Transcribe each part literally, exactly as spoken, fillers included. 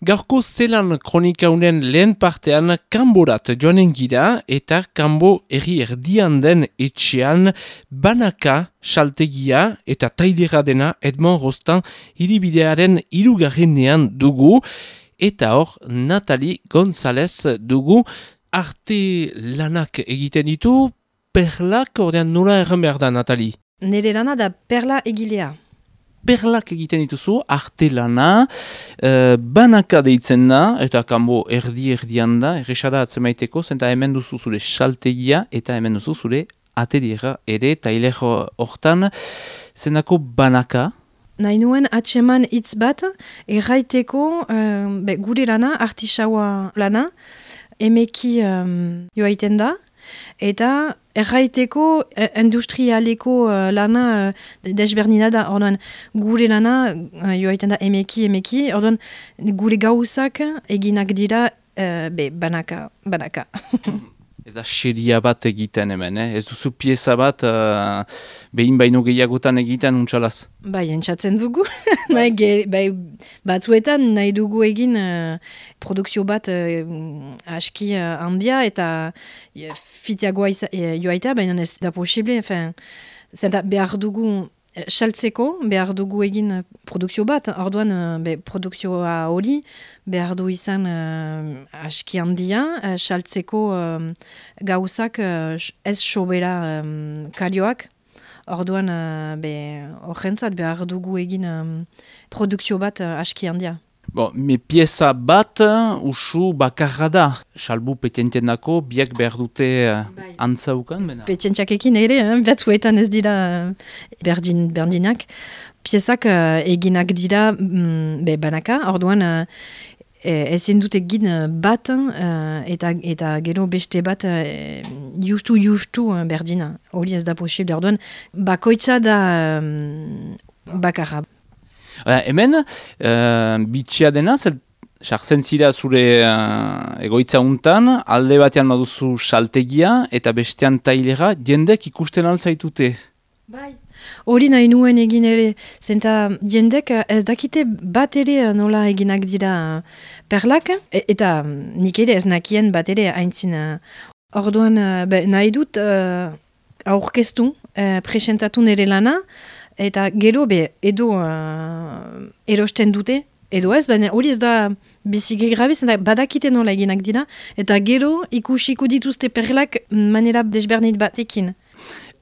Gaurko zelan kronikaunen lehen partean kanborat joanen gira eta kanbo erri erdian den etxean banaka saltegia eta tailera dena Edmond Rostand hiribidearen hirugarrenean dugu eta hor Nathalie González dugu arte lanak egiten ditu perlak ordean nola erran behar da Nathalie? Nere lana da perla egilea. Perlak egiten dituzu, arte lana, uh, banaka deitzen da, eta kanbo erdi-erdian da, erresada atzemaiteko, zenta hemen duzu zure saltegia, eta hemen duzu zure ateliera ere, tailer hortan, zenako banaka. Nahi nuen atseman hitz bat, erraiteko uh, be, gure lana, artisaua lana, emeki um, joaiten da, eta erraiteko eh, industrialeko uh, lana uh, desberdina da, orduan gure lana uh, joaiten da emeki, emeki, orduan gure gauzak eginak dira uh, be, banaka, banaka. Eta xeria bat egiten hemen, eh? Ez duzu pieza bat uh, behin baino gehiagotan egiten untxalaz? Bai, entzatzen dugu. nahi, ge, bai, batzuetan nahi dugu egin uh, produkzio bat uh, aski uh, handia eta uh, fitiagoa uh, joaita, baina ez da posible. Zenta behar dugu saltzeko, behar dugu egin uh, produkzio bat, orduan uh, be, produkzioa hori behar du izan uh, aski handia, uh, saltzeko uh, gauzak uh, ez sobera um, kalioak, orduan uh, horrentzat behar dugu egin um, produkzio bat uh, aski handia. Bon, me pieza bat usu bakarra da, salbu petenten dako, biak behar dute uh, antzaukan? Bena? Petentxakekin ere, eh? Batzuetan ez dira uh, berdin, berdinak. Piezak uh, eginak dira mm, be, banaka, orduan uh, ezin dut egin bat uh, eta, eta gero beste bat uh, justu justu uh, berdina. Hori ez da posible, orduan bakoitza da um, bakarra. Uh, hemen, uh, bitxia dena, sartzen zira zure uh, egoitza untan, alde batean baduzu saltegia eta bestean tailera, jendek ikusten alzaitute. Bai. Hori nahi nuen egin ere, zenta jendek ez dakite bat ere nola eginak dira perlak, e eta nik ere ez nakien bat ere haintzin. Orduan be, nahi dut uh, aurkeztu, uh, presentatu nire lana, eta gero be edo uh, erosten dute, edo ez, baina hori ez da biziki grabe, zenta badakite nola eginak dira, eta gero ikusiko dituzte perlak manera desbernit batekin.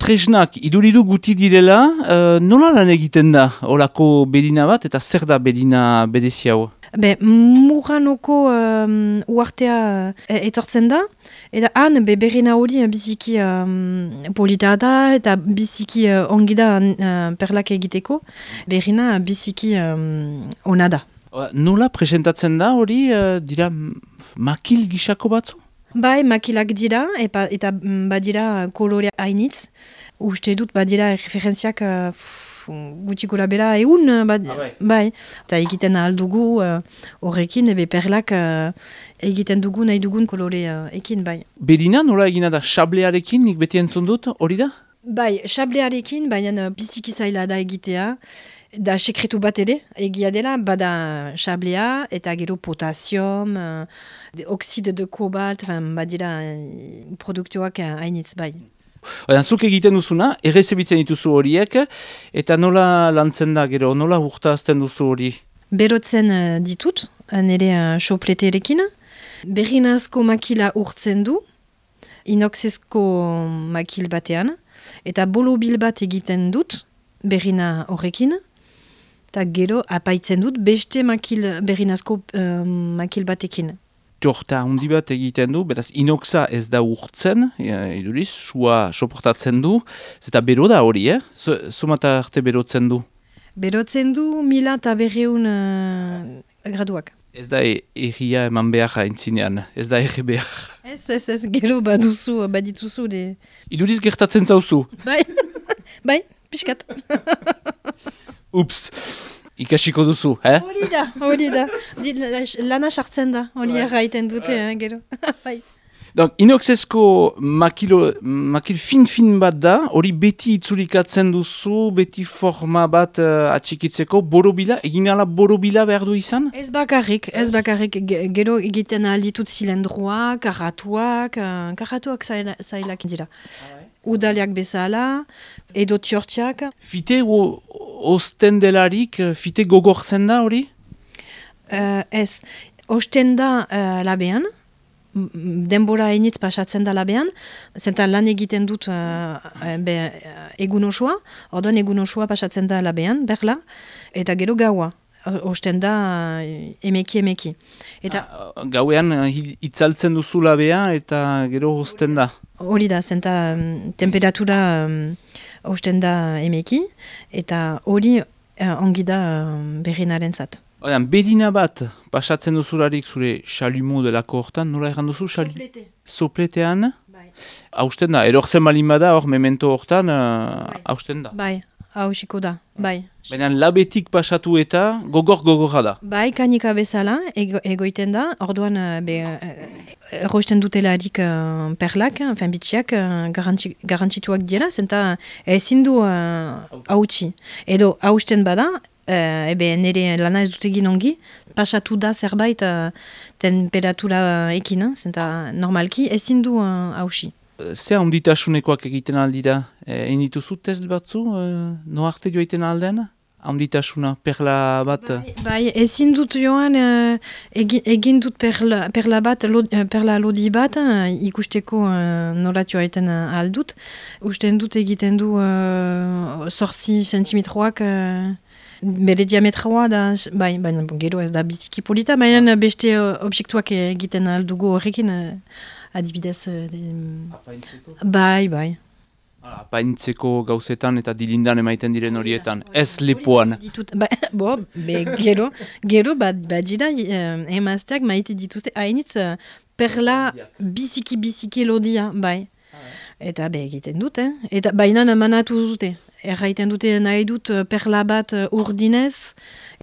Tresnak, iduridu guti direla, uh, nola lan egiten da olako bedina bat, eta zer da bedina bedezi hau? Be, Muranoko um, uartea uh, etortzen da, eta han be, berrina hori biziki um, polita da, eta biziki uh, ongi da uh, perlak egiteko, berrina biziki um, ona da. Uh, nola presentatzen da hori, uh, dira makil gisako batzu? Bai, makilak dira, epa, eta badira kolore hainitz. Uste dut badira referentziak uh, gutxiko labela egun. Bad, ah, bai. bai. Eta egiten aldugu horrekin, uh, ebe perlak uh, egiten dugu nahi dugun kolore uh, ekin, bai. Bedina nola egina da xablearekin, nik beti entzun dut, hori da? Bai, xablearekin, baina biziki zaila da egitea. Da sekretu bat ere, egia dela, bada xablea eta gero potasium, uh, oxide de kobalt, badira uh, produktuak hainitz bai. Oian, zuk egiten duzuna, errezebitzen dituzu horiek, eta nola lantzen da gero, nola urtazten duzu hori? Berotzen uh, ditut, nire uh, sopleterekin, berrinazko makila urtzen du, inoxezko makil batean, eta bolobil bat egiten dut, berrina horrekin, eta gero apaitzen dut beste makil, berrinazko um, makil batekin. Torta handi bat egiten du, beraz inoxa ez da urtzen, iduriz, sua soportatzen du, eta bero da hori, eh? Zumata arte berotzen du? Berotzen du mila eta berreun uh, graduak. Ez da erria eman behar haintzinean, ez da erre behar. Ez, ez, ez, gero baduzu, badituzu. De... Iduriz gertatzen zauzu? Bai, bai, pixkat. Ups, ikasiko duzu, eh? Hori da, hori da. Lana sartzen da, hori erraiten dute, eh, gero. Bai. Donc, inoxezko makilo, makil fin-fin bat da, hori beti itzulikatzen duzu, beti forma bat uh, atxikitzeko, borobila, egin ala borobila behar du izan? Ez bakarrik, ez bakarrik, ge- gero egiten alditut zilendroak, karatuak, uh, karatuak zaila- zailak dira. Udaliak bezala, edo txortiak. Fite o, osten delarik, fite gogortzen da hori? Uh, ez, osten da uh, labean, m- m- denbora hainitz pasatzen da labean, zenta lan egiten dut uh, be, uh, egun osoa, orduan egun osoa pasatzen da labean, berla, eta gero gaua. O- Osten da uh, emeki emeki. Eta Ah, gauean uh, hi- itzaltzen duzu labea eta gero osten da. hori da, zenta um, temperatura um, osten da emeki, eta hori uh, ongi da um, berrinaren zat. Oian, bedina bat pasatzen duzularik zure xalumo delako hortan, nola erran duzu? Xal- Sopletean, Bai. hausten da, erortzen balin bada, hor memento hortan, uh, hausten da. Bai, hausiko da, bai. Baina labetik pasatu eta gogor-gogorra da. Bai, kanika bezala, ego, egoiten da, orduan uh, be, uh, errosten dutelarik uh, perlak, enfin bitxiak, uh, garantzi, garantzituak dira, zenta ezin du uh, hautsi. Edo hausten bada, uh, ebe nire lana ez dut egin ongi, pasatu da zerbait uh, temperatura ekin, zenta normalki ezin du uh, hautsi. Zer handitasunekoak egiten aldira? E, Egin dituzu test batzu? E, no arte joaiten alden? Handitasuna, perla bat? Bai, bai, ezin dut joan, uh, egin, egin dut perla, perla bat, lo, uh, perla lodi bat, uh, ikusteko uh, norat joaiten uh, aldut. Usten dut egiten du uh, sortzi sentimetroak, uh, bere diametroa da, bai, baina bon, gero ez da biziki polita, baina beste uh, objektuak egiten aldugu horrekin, uh, adibidez, uh, de- bai, bai. Apaintzeko gauzetan eta dilindan emaiten diren horietan, ez lepoan. Ditut, ba, bo, be, gero, gero bat, bat dira uh, emazteak maite dituzte hainitz uh, perla biziki-biziki lodia, bai. Eta be egiten dute, eta baina manatu dute. Erraiten dute nahi dut uh, perla bat uh, urdinez,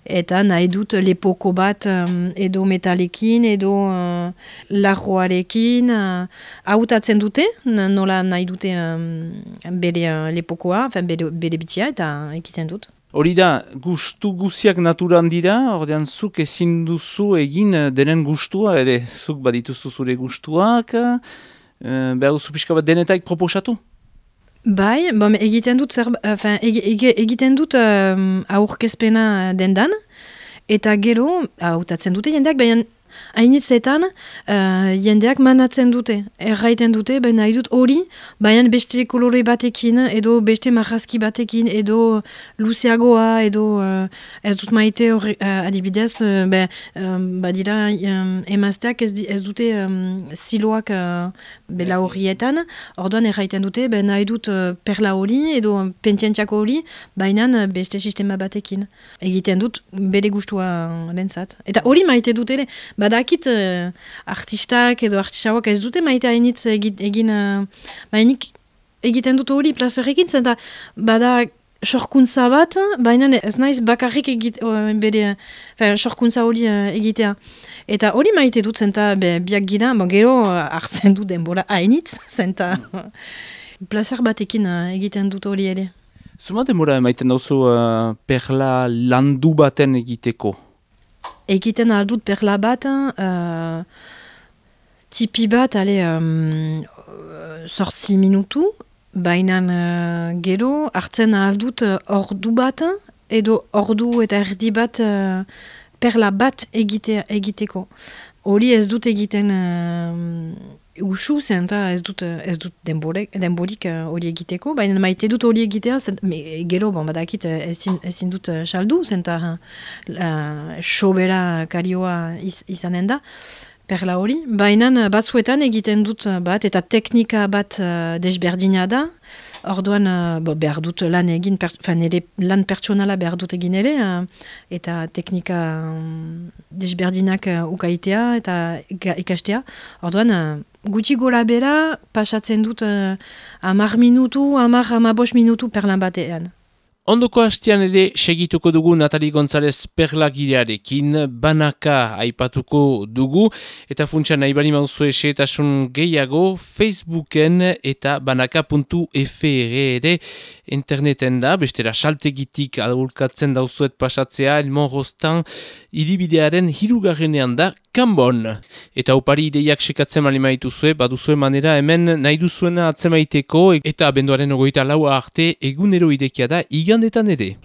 eta nahi dut lepoko bat um, edo metalekin, edo uh, larroarekin. Uh, hautatzen dute, n- nola nahi dute um, bere uh, lepokoa, enfin, bere, bere bitxia, eta egiten dut. Hori da, gustu guziak naturan dira, ordean zuk ezin duzu egin eh, denen gustua, ere zuk badituzu zure gustuak, eh, behar duzu pixka bat denetaik proposatu? Bai, bom, egiten dut, zer, enfin, eg, eg, egiten dut um, aurkezpena dendan, eta gero, hautatzen dute jendeak, baina hainitzetan uh, jendeak manatzen dute, erraiten dute, baina nahi dut hori, baina beste kolore batekin, edo beste marrazki batekin, edo luzeagoa, edo uh, ez dut maite horre, uh, adibidez, uh, be, um, badira um, emazteak ez, di- ez dute um, ziloak uh, bela horrietan, orduan erraiten dute, baina nahi dut uh, perla hori, edo pentzientxako hori, baina uh, beste sistema batekin. Egiten dut bere gustua lentzat. Eta hori maite dut ere, badakit uh, artistak edo artisauak ez dute maite hainitz egin, egin uh, bainik egiten dut hori plazerekin, zenta bada sorkuntza bat, baina ez naiz bakarrik egit, uh, bere, fin, sorkuntza hori uh, egitea. Eta hori maite dut, zenta be, biak gira, bon, gero uh, hartzen du denbora hainitz, zenta plazer batekin uh, egiten dut hori ere. Zuma demora emaiten dauzu uh, perla landu baten egiteko? Egiten aldut perla bat, uh, tipi bat, ale, um, sortzi minutu, baina uh, gero hartzen aldut uh, ordu bat, edo ordu eta erdi bat uh, perla bat egite, egiteko. Hori ez dut egiten uh, usu, zenta ez dut, ez dut denborek, denborik uh, hori egiteko, baina maite dut hori egitea, zent, me, gero, bon, badakit uh, ezin, ezin dut uh, saldu, zenta uh, sobera karioa iz, izanen da, perla hori, baina uh, batzuetan egiten dut uh, bat, eta teknika bat uh, desberdina da, orduan uh, bo, behar dut lan egin, per, nire lan pertsonala behar dut egin ere, uh, eta teknika um, desberdinak uh, ukaitea eta ika- ikastea. Orduan, uh, gutxi gora bera, pasatzen dut uh, amar minutu, amar amabos minutu perlan batean. Ondoko hastean ere segituko dugu Natali González Perlagilearekin, banaka aipatuko dugu, eta funtsa nahi bali mauzu esetasun gehiago Facebooken eta banaka puntu f r ere interneten da, bestera saltegitik adulkatzen dauzuet pasatzea, Elmon Rostan iribidearen hirugarrenean da Kanbon. Eta upari ideiak sekatzen malimaitu zue, baduzue manera hemen nahi duzuena atzemaiteko, eta abenduaren ogoita laua arte egunero idekia da igandetan ere.